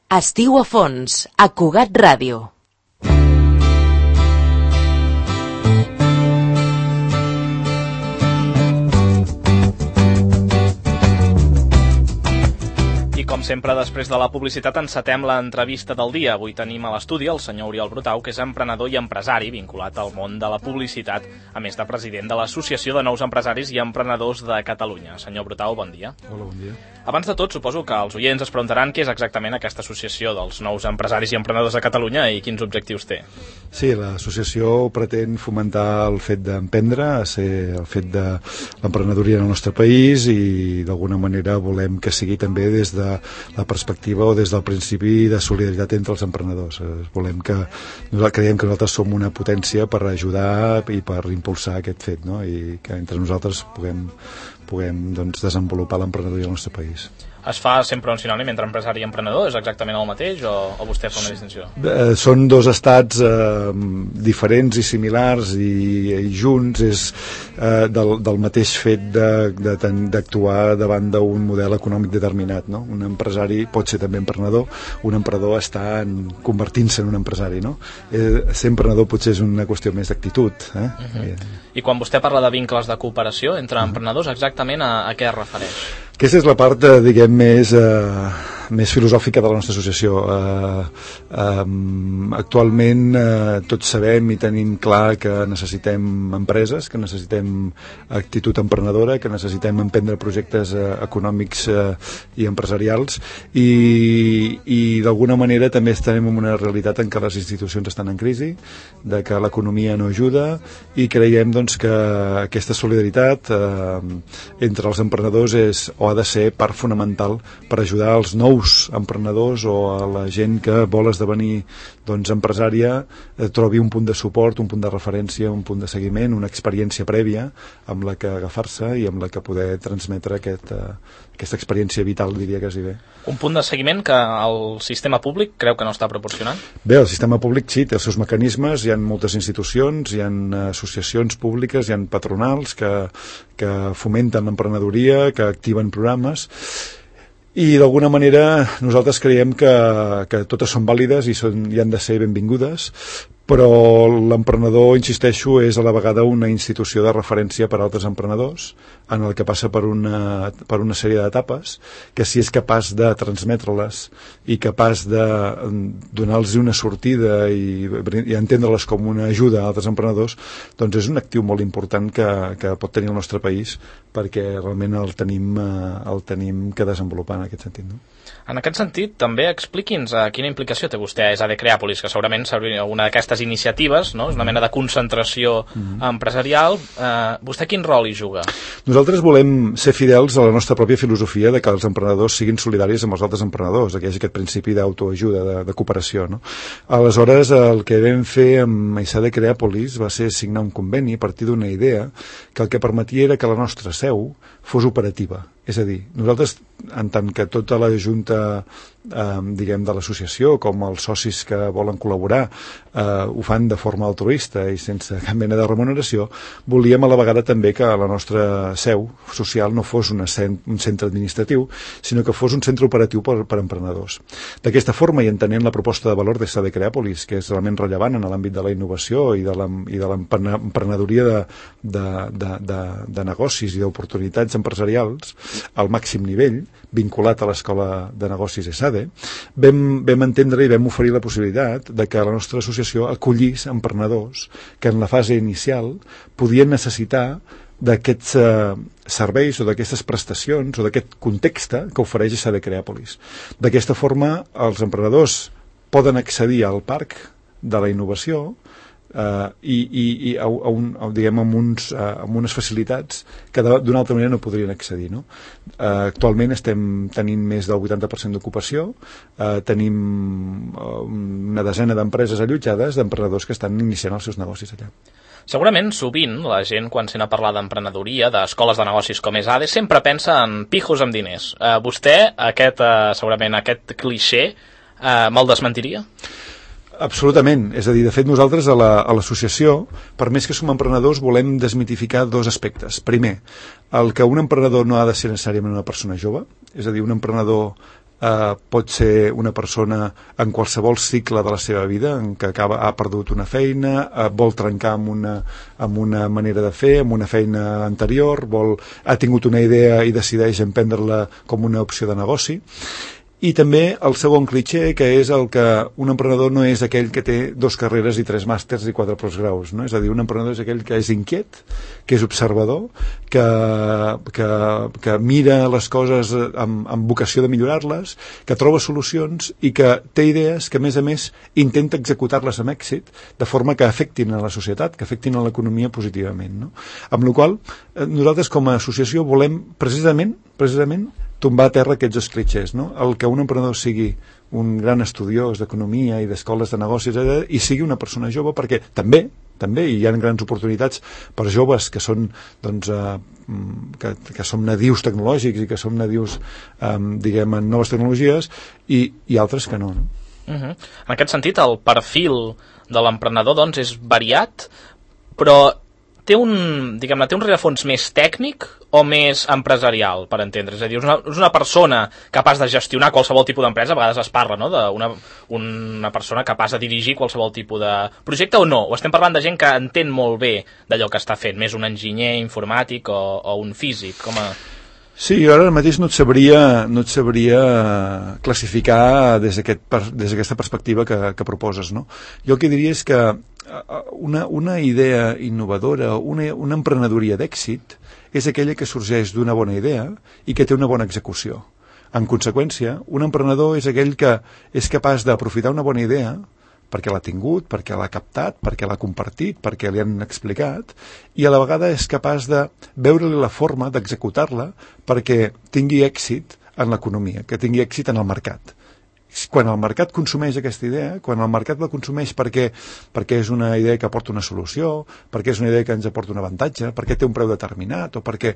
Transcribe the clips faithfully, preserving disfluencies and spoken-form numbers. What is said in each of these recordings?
Estiu a fons, a Cugat Ràdio. Com sempre, després de la publicitat encetem l'entrevista del dia. Avui tenim a l'estudi el senyor Oriol Brutau, que és emprenedor i empresari vinculat al món de la publicitat, a més de president de l'Associació de Nous Empresaris i Emprenedors de Catalunya. Senyor Brutau, bon dia. Hola, bon dia. Abans de tot, suposo que els oients es preguntaran què és exactament aquesta associació dels nous empresaris i emprenedors de Catalunya i quins objectius té. Sí, l'associació pretén fomentar el fet d'emprendre, el fet de l'emprenedoria en el nostre país i d'alguna manera volem que sigui també des de la perspectiva o des del principi de solidaritat entre els emprenedors. Volem que, creiem que nosaltres som una potència per ajudar i per impulsar aquest fet, no? I que entre nosaltres puguem, puguem doncs, desenvolupar l'emprenedoria al nostre país. Es fa sempre un sinònim entre empresari i emprenedor? És exactament el mateix o, o vostè fa una distinció? Eh, són dos estats eh, diferents i similars i, i junts, és eh, del, del mateix fet d'actuar de, davant d'un model econòmic determinat, no? Un empresari pot ser també emprenedor, un emprenedor està convertint-se en un empresari, no? Eh, ser emprenedor potser és una qüestió més d'actitud. Eh? Uh-huh. I, I quan vostè parla de vincles de cooperació entre uh-huh. emprenedors, exactament a, a què es refereix? Aquesta és la part, diguem, més, eh, més filosòfica de la nostra associació. Eh, eh, actualment eh, tots sabem i tenim clar que necessitem empreses, que necessitem actitud emprenedora, que necessitem emprendre projectes eh, econòmics eh, i empresarials i, i d'alguna manera també estem en una realitat en què les institucions estan en crisi, de que l'economia no ajuda i creiem doncs, que aquesta solidaritat eh, entre els emprenedors és o ha de ser part fonamental per ajudar als nous emprenedors o a la gent que vol esdevenir doncs, empresària, eh, trobi un punt de suport, un punt de referència, un punt de seguiment, una experiència prèvia amb la que agafar-se i amb la que poder transmetre aquest, eh, aquesta experiència vital, diria quasi bé. Un punt de seguiment que el sistema públic creu que no està proporcionant? Bé, el sistema públic sí, té els seus mecanismes, hi ha moltes institucions, hi ha associacions públiques, hi ha patronals que, que fomenten l'emprenedoria, que activen programes i d'alguna manera nosaltres creiem que, que totes són vàlides i, són, i han de ser benvingudes, però l'emprenedor, insisteixo, és a la vegada una institució de referència per a altres emprenedors en el que passa per una, per una sèrie d'etapes que si és capaç de transmetre-les i capaç de donar-los una sortida i, i entendre-les com una ajuda a altres emprenedors, doncs és un actiu molt important que, que pot tenir el nostre país perquè realment el tenim, el tenim que desenvolupar en aquest sentit, no? En aquest sentit, també expliqui'ns a quina implicació té vostè a ESADE Creàpolis, que segurament seria una d'aquestes iniciatives, no? És una mena de concentració mm-hmm. empresarial. Eh, vostè quin rol hi juga? Nosaltres volem ser fidels a la nostra pròpia filosofia de que els emprenedors siguin solidaris amb els altres emprenedors, que hi hagi aquest principi d'autoajuda, de, de cooperació, no? Aleshores, el que vam fer amb ESADE Creàpolis va ser signar un conveni a partir d'una idea que el que permetia era que la nostra seu fos operativa. És a dir, nosaltres, en tant que tota la junta eh, diguem, de l'associació, com els socis que volen col·laborar, eh, ho fan de forma altruista i sense cap mena de remuneració, volíem a la vegada també que la nostra seu social no fos una cent, un centre administratiu, sinó que fos un centre operatiu per, per emprenedors. D'aquesta forma, i entenent la proposta de valor d'ESADE Creàpolis, que és realment rellevant en l'àmbit de la innovació i de l'emprenedoria de, de, de, de, de negocis i d'oportunitats empresarials, al màxim nivell, vinculat a l'Escola de Negocis ESADE, vam, vam entendre i vam oferir la possibilitat de que la nostra associació acollís emprenedors que en la fase inicial podien necessitar d'aquests eh, serveis o d'aquestes prestacions o d'aquest context que ofereix ESADE Creàpolis. D'aquesta forma, els emprenedors poden accedir al parc de la innovació Uh, i, i, i a, a un, a, diguem, amb, uns, uh, amb unes facilitats que d'una altra manera no podrien accedir, no? Uh, actualment estem tenint més del vuitanta per cent d'ocupació, uh, tenim uh, una desena d'empreses allotjades d'emprenedors que estan iniciant els seus negocis allà. Segurament, sovint, la gent, quan sent a parlar d'emprenedoria, d'escoles de negocis com ESADE, sempre pensa en pijos amb diners. Uh, vostè, aquest, uh, segurament, aquest clixé, uh, me'l desmentiria? Absolutament. És a dir, de fet, nosaltres a la, a l'associació, per més que som emprenedors, volem desmitificar dos aspectes. Primer, el que un emprenedor no ha de ser necessàriament una persona jove, és a dir, un emprenedor eh, pot ser una persona en qualsevol cicle de la seva vida, en què acaba, ha perdut una feina, eh, vol trencar amb una, amb una manera de fer, amb una feina anterior, vol, ha tingut una idea i decideix emprendre-la com una opció de negoci. I també el segon clitxé, que és el que un emprenedor no és aquell que té dos carreres i tres màsters i quatre postgraus, no? És a dir, un emprenedor és aquell que és inquiet, que és observador, que, que, que mira les coses amb, amb vocació de millorar-les, que troba solucions i que té idees que, a més a més, intenta executar-les amb èxit, de forma que afectin a la societat, que afectin a l'economia positivament, no? Amb la qual cosa, nosaltres com a associació volem precisament, precisament tombar a terra aquests dos clitxers, no? El que un emprenedor sigui un gran estudiós d'economia i d'escoles de negocis, etcètera, i sigui una persona jove, perquè també, també hi ha grans oportunitats per joves que són, doncs, eh, que, que som nadius tecnològics i que som nadius, eh, diguem, en noves tecnologies, i, i altres que no, no? Uh-huh. En aquest sentit, el perfil de l'emprenedor, doncs, és variat, però té un, diguem-ne, té un rerefons més tècnic o més empresarial, per entendre? És a dir, és una, és una persona capaç de gestionar qualsevol tipus d'empresa, a vegades es parla, no?, d'una una persona capaç de dirigir qualsevol tipus de projecte, o no? O estem parlant de gent que entén molt bé d'allò que està fent, més un enginyer informàtic o, o un físic, com a... Sí, jo ara mateix no et sabria, no et sabria classificar des d'aquest, des d'aquesta perspectiva que, que proposes, no? Jo el que diria és que una, una idea innovadora, una, una emprenedoria d'èxit és aquella que sorgeix d'una bona idea i que té una bona execució. En conseqüència, un emprenedor és aquell que és capaç d'aprofitar una bona idea perquè l'ha tingut, perquè l'ha captat, perquè l'ha compartit, perquè li han explicat, i a la vegada és capaç de veure-li la forma d'executar-la perquè tingui èxit en l'economia, que tingui èxit en el mercat. Quan el mercat consumeix aquesta idea, quan el mercat la consumeix perquè, perquè és una idea que aporta una solució, perquè és una idea que ens aporta un avantatge, perquè té un preu determinat, o perquè,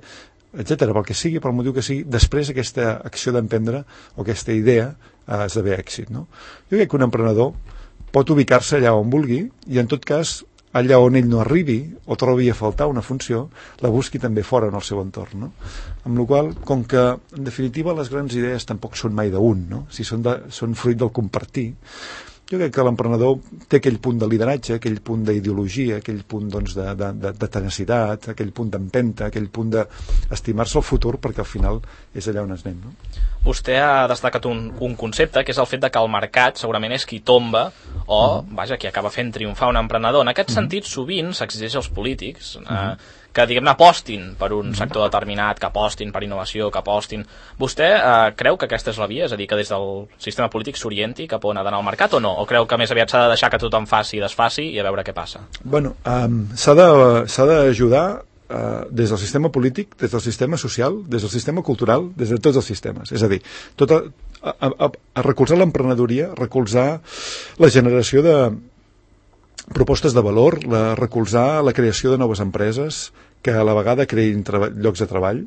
etcètera, pel que sigui, pel motiu que sigui, després aquesta acció d'emprendre o aquesta idea eh, esdevé èxit, no? Jo crec que un emprenedor pot ubicar-se allà on vulgui i, en tot cas, allà on ell no arribi o trobi a faltar una funció, la busqui també fora en el seu entorn, no? Amb la qual cosa, com que, en definitiva, les grans idees tampoc són mai d'un, no? Si són, de, són fruit del compartir, jo crec que l'emprenedor té aquell punt de lideratge, aquell punt d'ideologia, aquell punt, doncs, de, de, de, de tenacitat, aquell punt d'empenta, aquell punt d'estimar-se el futur, perquè al final és allà on es anem, no? Vostè ha destacat un, un concepte, que és el fet de que el mercat segurament és qui tomba o, uh-huh. vaja, qui acaba fent triomfar un emprenedor. En aquest uh-huh. sentit, sovint s'exigeix als polítics eh, uh-huh. que, diguem-ne, apostin per un uh-huh. sector determinat, que apostin per innovació, que apostin... Vostè eh, creu que aquesta és la via? És a dir, que des del sistema polític s'orienti cap on ha d'anar al mercat o no? O creu que més aviat s'ha de deixar que tothom faci i desfaci i a veure què passa? Bueno, um, s'ha de, s'ha d'ajudar Uh, des del sistema polític, des del sistema social, des del sistema cultural, des de tots els sistemes. És a dir, tot a, a, a, a recolzar l'emprenedoria, recolzar la generació de propostes de valor, la, recolzar la creació de noves empreses que a la vegada creïn llocs de treball,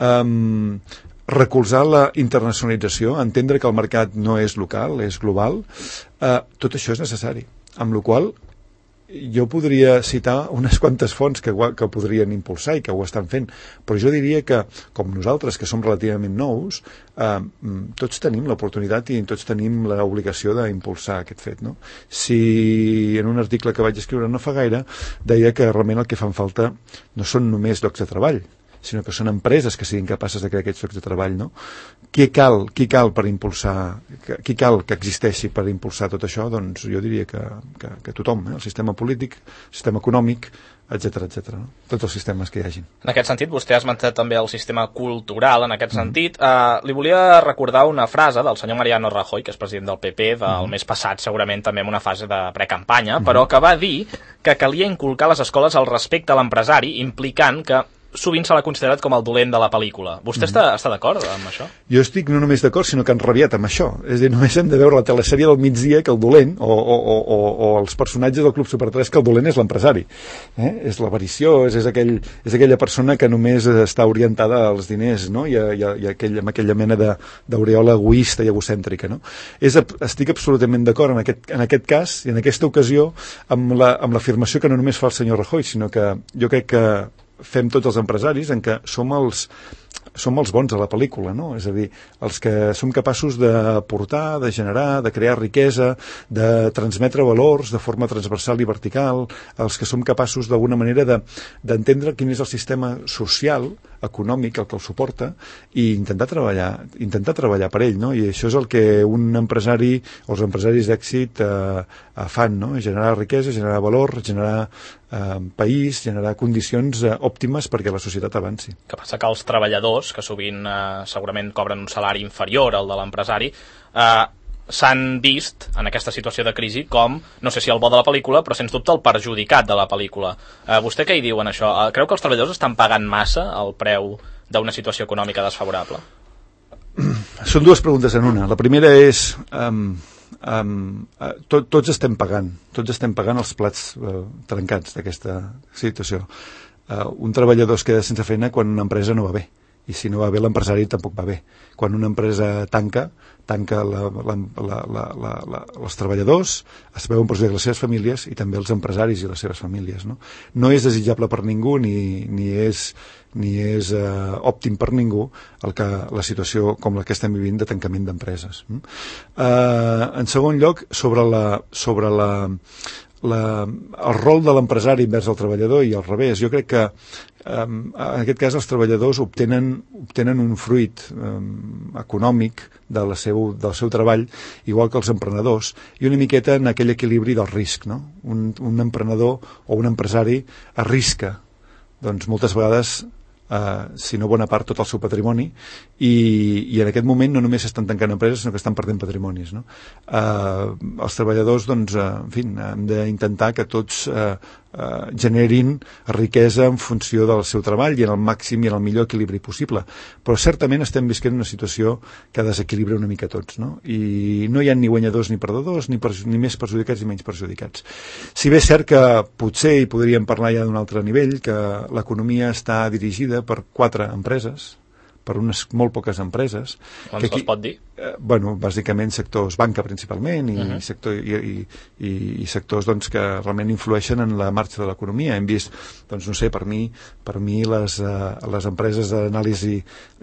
um, recolzar la internacionalització, entendre que el mercat no és local, és global, uh, tot això és necessari. Amb la qual cosa, jo podria citar unes quantes fonts que, que podrien impulsar i que ho estan fent, però jo diria que, com nosaltres, que som relativament nous, eh, tots tenim l'oportunitat i tots tenim l'obligació d'impulsar aquest fet, no? Si en un article que vaig escriure no fa gaire deia que realment el que fan falta no són només llocs de treball, sinó que són empreses que siguin capaces de crear aquests llocs de treball, no? Qui cal, qui cal per impulsar, qui cal que existeixi per impulsar tot això? Doncs jo diria que, que, que tothom, eh? El sistema polític, el sistema econòmic, etcètera, etcètera, no? Tots els sistemes que hi hagin. En aquest sentit, vostè ha esmentat també el sistema cultural, en aquest mm. sentit. Uh, li volia recordar una frase del senyor Mariano Rajoy, que és president del P P del mm. mes passat, segurament també en una fase de precampanya, mm. però que va dir que calia inculcar a les escoles el respecte a l'empresari, implicant que sovint se l'ha considerat com el dolent de la pel·lícula. Vostè mm. està, està d'acord amb això? Jo estic no només d'acord, sinó que enrabiat amb això. És a dir, només hem de veure la telesèrie del migdia que el dolent, o, o, o, o els personatges del Club Super tres, que el dolent és l'empresari. Eh? És l'avarició, és, és, aquell, és aquella persona que només està orientada als diners, no? I, a, i, a, i a aquell, amb aquella mena d'aureola egoista i egocèntrica, no? És, estic absolutament d'acord en, aquest, en aquest cas i en aquesta ocasió amb l'afirmació la, que no només fa el senyor Rajoy, sinó que jo crec que fem tots els empresaris, en què som els, som els bons a la pel·lícula, no? És a dir, els que som capaços de portar, de generar, de crear riquesa, de transmetre valors de forma transversal i vertical, els que som capaços d'alguna manera de, d'entendre quin és el sistema social, econòmic, el que el suporta, i intentar treballar, intentar treballar per ell, no? I això és el que un empresari o els empresaris d'èxit eh, fan, no? Generar riquesa, generar valor, generar eh, país, generar condicions eh, òptimes perquè la societat avanci. Que passa que els treballadors, que sovint eh, segurament cobren un salari inferior al de l'empresari, eh, s'han vist en aquesta situació de crisi com, no sé si el bo de la pel·lícula, però sens dubte el perjudicat de la pel·lícula. Eh, vostè què hi diu en això? Eh, creu que els treballadors estan pagant massa el preu d'una situació econòmica desfavorable? Són dues preguntes en una. La primera és... Um, um, uh, to, tots estem pagant, tots estem pagant els plats uh, trencats d'aquesta situació. Uh, un treballador es queda sense feina quan una empresa no va bé, i si no va bé l'empresari tampoc va bé. Quan una empresa tanca, tanca la, la, la, la, la, la, els treballadors, es veuen perjudicats les seves famílies i també els empresaris i les seves famílies. No, no és desitjable per ningú ni, ni és, ni és uh, òptim per ningú el que la situació com la que estem vivint de tancament d'empreses. Uh, en segon lloc, sobre la... Sobre la La, el rol de l'empresari envers el treballador i al revés. Jo crec que um, en aquest cas els treballadors obtenen, obtenen un fruit um, econòmic de la seu, del seu treball, igual que els emprenedors, i una miqueta en aquell equilibri del risc, no? Un, un emprenedor o un empresari arrisca, doncs moltes vegades Uh, si no bona part, tot el seu patrimoni, i, i en aquest moment no només estan tancant empreses, sinó que estan perdent patrimonis, no? Uh, els treballadors, doncs, uh, en fi, hem d'intentar que tots uh, uh, generin riquesa en funció del seu treball i en el màxim i en el millor equilibri possible, però certament estem visquent una situació que desequilibra una mica tots, no? I no hi ha ni guanyadors ni perdedors, ni, ni més perjudicats ni menys perjudicats. Si bé és cert que potser hi podríem parlar ja d'un altre nivell, que l'economia està dirigida per quatre empreses, per unes molt poques empreses. Quants que aquí, pot dir? Eh, bueno, bàsicament sectors banca principalment i, uh-huh. sector, i, i, i, i sectors doncs, que realment influeixen en la marxa de l'economia. Hem vist, doncs no sé, per mi, per mi les, uh, les empreses d'anàlisi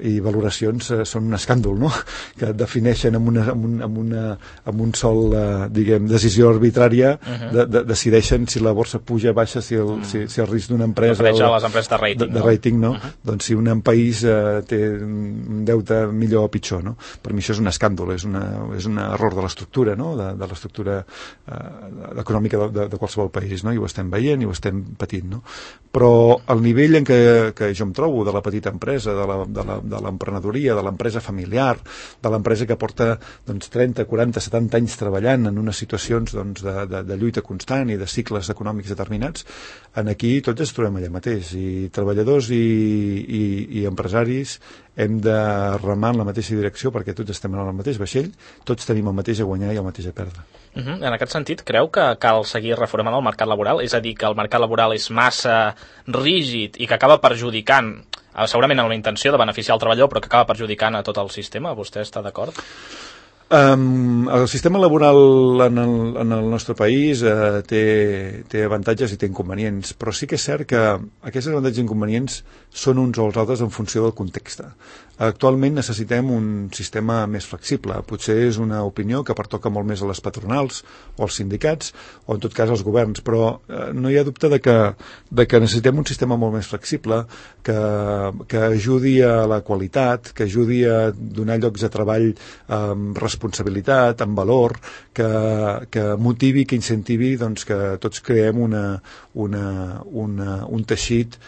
i valoracions uh, són un escàndol, no? Que defineixen amb, una, amb, un, amb, una, amb un sol, uh, diguem, decisió arbitrària, uh-huh. de, de, decideixen si la borsa puja, baixa, si el, uh-huh. si, si el risc d'una empresa... Refereix a les empreses de rating, de, de no? rating, no? Uh-huh. Doncs si un país uh, té un deute millor o pitjor, no? Per mi això és un escàndol, és, una, és un error de l'estructura, no? De, de l'estructura eh, econòmica de, de, de qualsevol país, no? I ho estem veient i ho estem patint, no? Però el nivell en què, que jo em trobo de la petita empresa, de la, de la, de l'emprenedoria, de l'empresa familiar, de l'empresa que porta doncs, trenta, quaranta, setanta anys treballant en unes situacions doncs, de, de, de lluita constant i de cicles econòmics determinats, en aquí tots ens trobem allà mateix, i treballadors i, i, i empresaris hem de remar en la mateixa direcció perquè tots estem en el mateix vaixell, tots tenim el mateix a guanyar i el mateix a perdre. Uh-huh. En aquest sentit, creu que cal seguir reformant el mercat laboral? És a dir, que el mercat laboral és massa rígid i que acaba perjudicant, segurament amb la intenció de beneficiar el treballador, però que acaba perjudicant a tot el sistema? Vostè està d'acord? Um, el sistema laboral en el, en el nostre país uh, té, té avantatges i té inconvenients, però sí que és cert que aquests avantatges i inconvenients són uns o els altres en funció del context. Actualment necessitem un sistema més flexible. Potser és una opinió que pertoca molt més a les patronals o als sindicats o en tot cas als governs, però eh, no hi ha dubte de que, de que necessitem un sistema molt més flexible que, que ajudi a la qualitat, que ajudi a donar llocs de treball amb responsabilitat, amb valor, que, que motivi, que incentivi doncs, que tots creem una, una, una, un teixit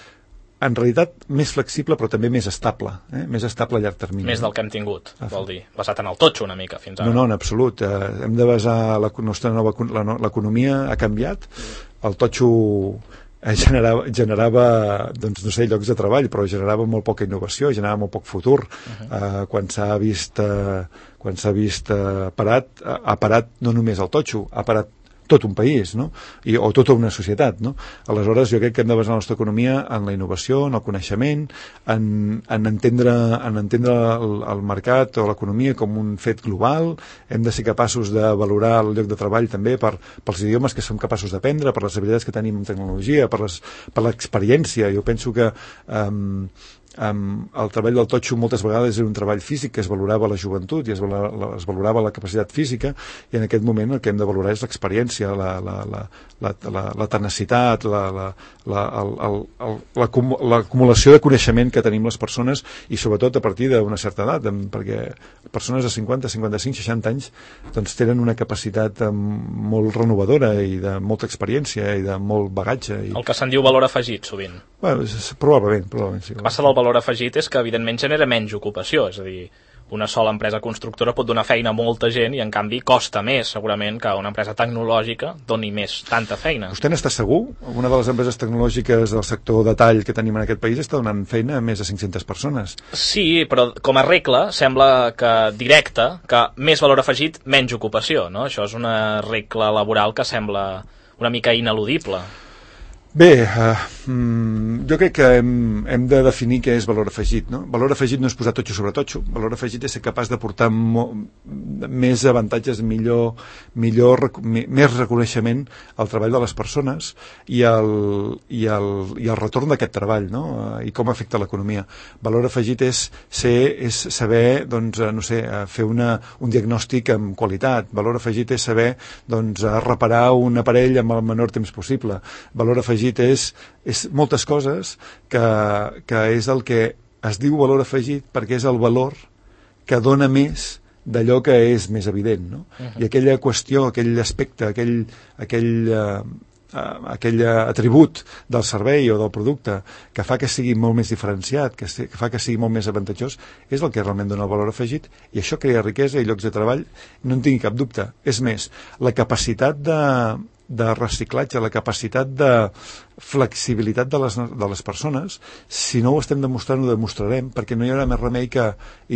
en realitat més flexible però també més estable, eh? Més estable a llarg termini. Més del que hem tingut, ah, vol dir, basat en el totxo una mica fins ara. No, no, en absolut. Eh, hem de basar la nostra nova... L'economia ha canviat, el totxo generava, generava doncs, no sé, llocs de treball, però generava molt poca innovació, generava molt poc futur. Uh-huh. eh, quan s'ha vist, eh, quan s'ha vist eh, parat, ha parat no només el totxo, ha parat tot un país, no? I, o tota una societat, no? Aleshores, jo crec que hem de basar la nostra economia en la innovació, en el coneixement, en, en entendre, en entendre el, el mercat o l'economia com un fet global. Hem de ser capaços de valorar el lloc de treball també per, pels idiomes que som capaços d'aprendre, per les habilitats que tenim en tecnologia, per les, per l'experiència. Jo penso que um, um, el treball del totxo moltes vegades era un treball físic que es valorava la joventut i es valorava, es valorava la capacitat física, i en aquest moment el que hem de valorar és l'experiència, la, la, la, la, la, la tenacitat, la, la, la, el, el, el, l'acumulació de coneixement que tenim les persones, i sobretot a partir d'una certa edat, perquè persones de cinquanta, cinquanta-cinc, seixanta anys doncs tenen una capacitat molt renovadora i de molta experiència i de molt bagatge. I... El que se'n diu valor afegit, sovint. Bueno, probablement, probablement sí. El que passa del valor afegit és que, evidentment, genera menys ocupació, és a dir, una sola empresa constructora pot donar feina a molta gent i, en canvi, costa més, segurament, que una empresa tecnològica doni més tanta feina. Vostè n'està segur? Una de les empreses tecnològiques del sector de tall que tenim en aquest país està donant feina a més de cinc-centes persones. Sí, però com a regla sembla que directa, que més valor afegit, menys ocupació, no? Això és una regla laboral que sembla una mica ineludible. Bé, uh, mm, jo crec que hem, hem de definir què és valor afegit, no? Valor afegit no és posar totxo sobre totxo, valor afegit és ser capaç de portar mo, més avantatges, millor, millor, mi, més reconeixement al treball de les persones i el, i el, i el retorn d'aquest treball, no? Uh, i com afecta l'economia. Valor afegit és, ser, és saber, doncs, no sé, fer una, un diagnòstic amb qualitat. Valor afegit és saber, doncs, reparar un aparell amb el menor temps possible. Valor afegit és, és moltes coses que, que és el que es diu valor afegit perquè és el valor que dona més d'allò que és més evident, no? Uh-huh. I aquella qüestió, aquell aspecte, aquell, aquell, uh, aquell atribut del servei o del producte que fa que sigui molt més diferenciat, que, que fa que sigui molt més avantatjós, és el que realment dona el valor afegit, i això crea riquesa i llocs de treball, no en tingui cap dubte. És més, la capacitat de de reciclatge, la capacitat de flexibilitat de les, de les persones, si no ho estem demostrant, ho demostrarem, perquè no hi haurà més remei que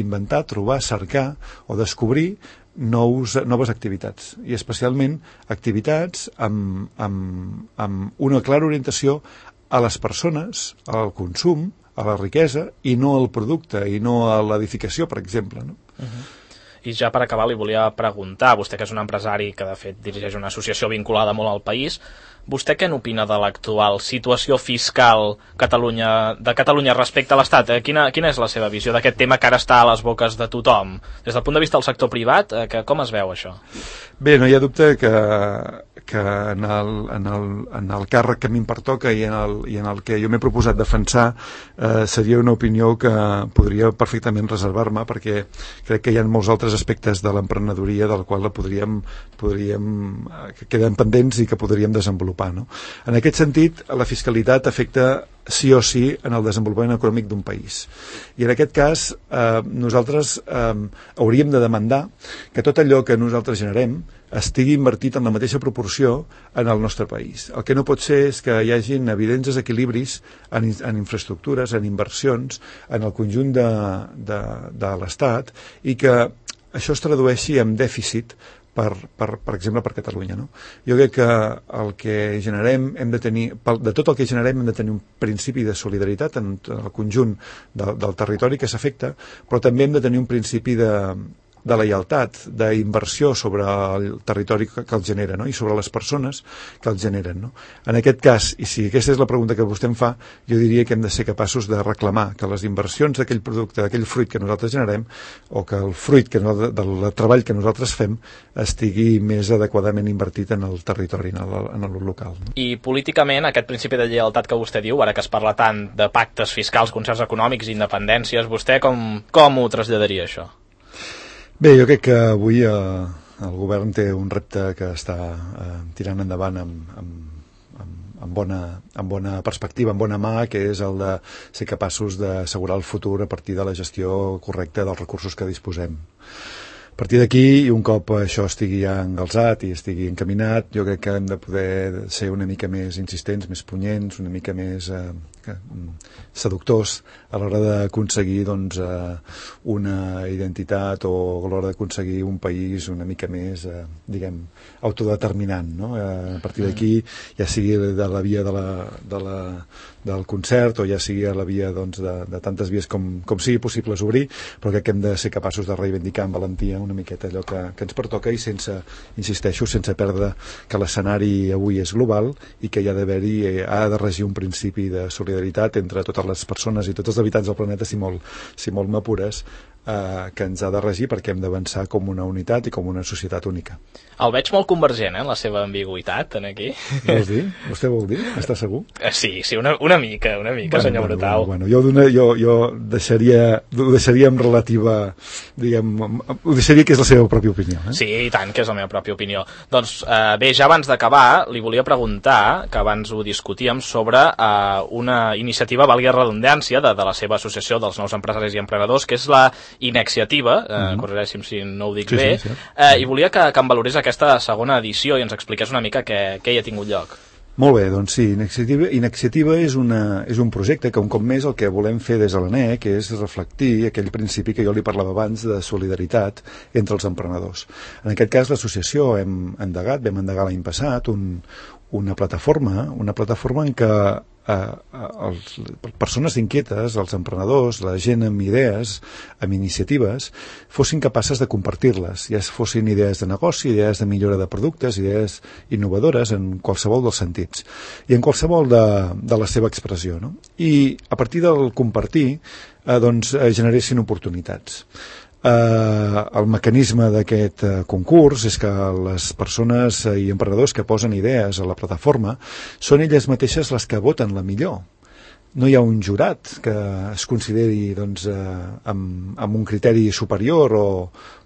inventar, trobar, cercar o descobrir nous, noves activitats, i especialment activitats amb, amb, amb una clara orientació a les persones, al consum, a la riquesa, i no al producte, i no a l'edificació, per exemple, no? Uh-huh. I ja per acabar li volia preguntar, vostè que és un empresari que de fet dirigeix una associació vinculada molt al país, vostè què n'opina de l'actual situació fiscal Catalunya, de Catalunya respecte a l'Estat? Quina, quina és la seva visió d'aquest tema que ara està a les boques de tothom? Des del punt de vista del sector privat, que, com es veu això? Bé, no hi ha dubte que, que en, el, en, el, en el càrrec que a mi em pertoca i en el, i en el que jo m'he proposat defensar eh, seria una opinió que podria perfectament reservar-me, perquè crec que hi ha molts altres aspectes de l'emprenedoria del qual la podríem, podríem que queden pendents i que podríem desenvolupar, no? En aquest sentit, la fiscalitat afecta sí o sí en el desenvolupament econòmic d'un país. I en aquest cas eh, nosaltres eh, hauríem de demandar que tot allò que nosaltres generem estigui invertit en la mateixa proporció en el nostre país. El que no pot ser és que hi hagin evidents desequilibris en, en infraestructures, en inversions, en el conjunt de, de, de l'Estat, i que això es tradueixi en dèficit Per, per, per exemple, per Catalunya, no? Jo crec que el que generem hem de tenir, de tot el que generem hem de tenir un principi de solidaritat en el conjunt de, del territori que s'afecta, però també hem de tenir un principi de, de lleialtat, d'inversió sobre el territori que, que el genera, no? I sobre les persones que el generen, no? En aquest cas, i si aquesta és la pregunta que vostè em fa, jo diria que hem de ser capaços de reclamar que les inversions d'aquell producte, d'aquell fruit que nosaltres generem, o que el fruit que no, del treball que nosaltres fem estigui més adequadament invertit en el territori, en el, en el local, no? I políticament, aquest principi de lleialtat que vostè diu, ara que es parla tant de pactes fiscals, concerts econòmics i independències, vostè com, com ho traslladaria, això? Bé, jo crec que avui eh, el govern té un repte que està eh, tirant endavant amb, amb, amb, amb, bona, amb bona perspectiva, amb bona mà, que és el de ser capaços d'assegurar el futur a partir de la gestió correcta dels recursos que disposem. A partir d'aquí, i un cop això estigui ja engalzat i estigui encaminat, jo crec que hem de poder ser una mica més insistents, més punyents, una mica més eh, seductors a l'hora d'aconseguir doncs, eh, una identitat, o a l'hora d'aconseguir un país una mica més, eh, diguem, autodeterminant, no? Eh, a partir d'aquí, ja sigui de la via de la, de la, del concert, o ja sigui a la via doncs, de, de tantes vies com, com sigui possible obrir, però crec que hem de ser capaços de reivindicar amb valentia una una miqueta allò que, que ens pertoca i sense, insisteixo, sense perdre que l'escenari avui és global i que hi ha d'haver-hi, eh, ha de regir un principi de solidaritat entre totes les persones i tots els habitants del planeta, si molt, si molt m'apures, eh, que ens ha de regir perquè hem d'avançar com una unitat i com una societat única. El veig molt convergent, eh, en la seva ambigüitat, en aquí. Vols dir? Vostè vol dir? Està segur? Sí, sí, una, una mica, una mica, bueno, senyor bueno, Brutau. Bueno, bueno, jo, dona, jo, jo deixaria, ho deixaria en relativa, diguem, ho deixaria que és la seva pròpia opinió. Eh? Sí, i tant, que és la meva pròpia opinió. Doncs eh, bé, ja abans d'acabar, li volia preguntar, que abans ho discutíem, sobre eh, una iniciativa, valgui redundància, de, de la seva associació dels nous empresaris i emprenedors, que és la Iniciativa, eh, mm-hmm. corregeixi'm si no ho dic sí, bé, sí, sí. Eh, i volia que, que em valorés aquesta segona edició i ens expliqués una mica què, què hi ha tingut lloc. Molt bé, doncs sí, Iniciativa, Iniciativa és, una, és un projecte que un cop més el que volem fer des de l'A N E C és reflectir aquell principi que jo li parlava abans de solidaritat entre els emprenedors. En aquest cas l'associació hem endegat, vam endegar l'any passat un, una plataforma, una plataforma en què eh, els, persones inquietes, els emprenedors, la gent amb idees, amb iniciatives, fossin capaces de compartir-les, ja fossin idees de negoci, idees de millora de productes, idees innovadores en qualsevol dels sentits i en qualsevol de, de la seva expressió, no? I a partir del compartir eh, doncs, eh, generessin oportunitats. Eh, el mecanisme d'aquest eh, concurs és que les persones eh, i emprenedors que posen idees a la plataforma són elles mateixes les que voten la millor. No hi ha un jurat que es consideri doncs, eh, amb, amb un criteri superior o,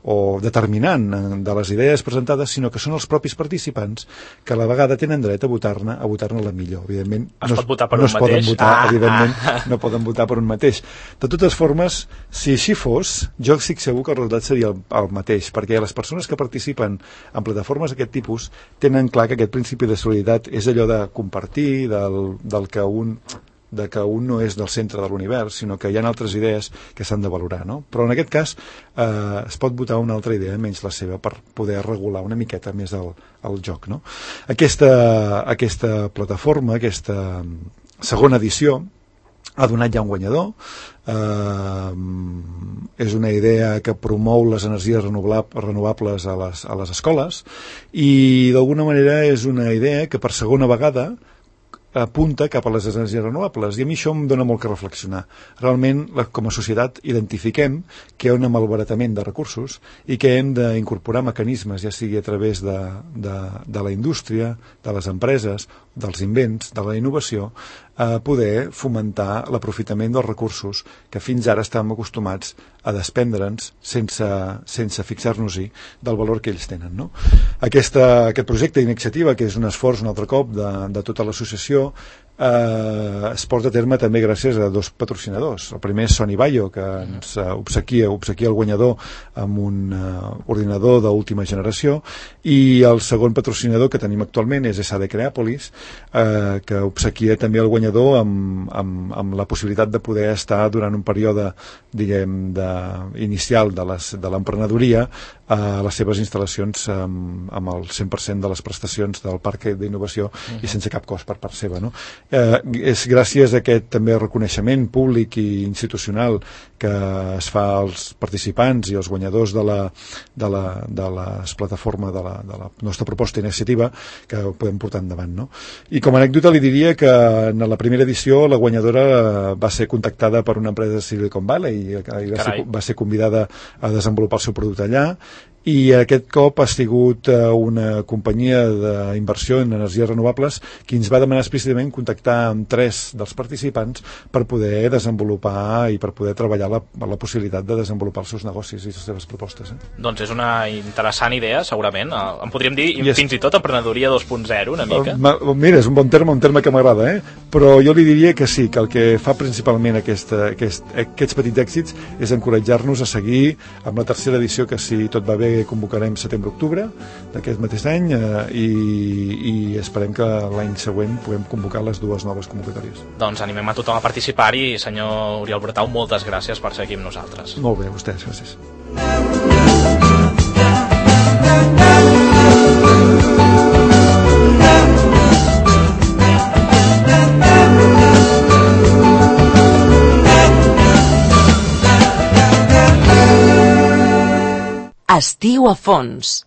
o determinant de les idees presentades, sinó que són els propis participants que a la vegada tenen dret a votar-ne a votar-ne la millor. Evidentment, es no, pot votar per no un es poden mateix? votar, ah, evidentment, ah. no poden votar per un mateix. De totes formes, si així fos, jo estic segur que el resultat seria el, el mateix, perquè les persones que participen en plataformes d'aquest tipus tenen clar que aquest principi de solidaritat és allò de compartir, del, del que un... de que un no és del centre de l'univers, sinó que hi ha altres idees que s'han de valorar, no? Però en aquest cas eh, es pot votar una altra idea menys la seva per poder regular una miqueta més el, el joc, no? Aquesta, aquesta plataforma, aquesta segona edició, ha donat ja un guanyador. Eh, és una idea que promou les energies renovables a les, a les escoles i d'alguna manera és una idea que per segona vegada apunta cap a les energies renovables, i a mi això em dona molt que reflexionar. Realment, com a societat, identifiquem que hi ha un malbaratament de recursos i que hem d'incorporar mecanismes, ja sigui a través de, de, de la indústria, de les empreses, dels invents, de la innovació, a poder fomentar l'aprofitament dels recursos que fins ara estàvem acostumats a despendre'ns sense, sense fixar-nos-hi del valor que ells tenen, no? Aquesta, aquest projecte d'iniciativa, que és un esforç un altre cop de, de tota l'associació, eh, es porta a terme també gràcies a dos patrocinadors. El primer és Sony Bayo, que ens eh, obsequia, obsequia el guanyador amb un eh, ordinador d'última generació, i el segon patrocinador que tenim actualment és S A D Creàpolis, eh, que obsequia també el guanyador amb, amb, amb la possibilitat de poder estar durant un període, diguem, de, inicial de les, de l'emprenedoria a les seves instal·lacions amb, amb el cent per cent de les prestacions del parc d'innovació uh-huh. i sense cap cost per part seva, no? Eh, és gràcies a aquest també reconeixement públic i institucional que es fa als participants i als guanyadors de la, de la, de les plataformes de la, de la nostra proposta iniciativa que ho podem portar endavant, no? I com a anècdota li diria que en la primera edició la guanyadora va ser contactada per una empresa de Silicon Valley i, i va, ser, va ser convidada a desenvolupar el seu producte allà, i aquest cop ha sigut una companyia d'inversió en energies renovables qui ens va demanar explícitament contactar amb tres dels participants per poder desenvolupar i per poder treballar la, la possibilitat de desenvolupar els seus negocis i les seves propostes. Eh? Doncs és una interessant idea, segurament. En podríem dir yes. fins i tot emprenedoria dos punt zero, una mica. Mira, és un bon terme, un terme que m'agrada, eh? Però jo li diria que sí, que el que fa principalment aquesta, aquest, aquests petits èxits és encoratjar-nos a seguir amb la tercera edició, que si tot va bé convocarem setembre-octubre d'aquest mateix any eh, i, i esperem que l'any següent puguem convocar les dues noves convocatòries. Doncs animem a tothom a participar-hi. Senyor Oriol Brutau, moltes gràcies per ser aquí amb nosaltres. Molt bé, a vostès, gràcies. Estiu a fons.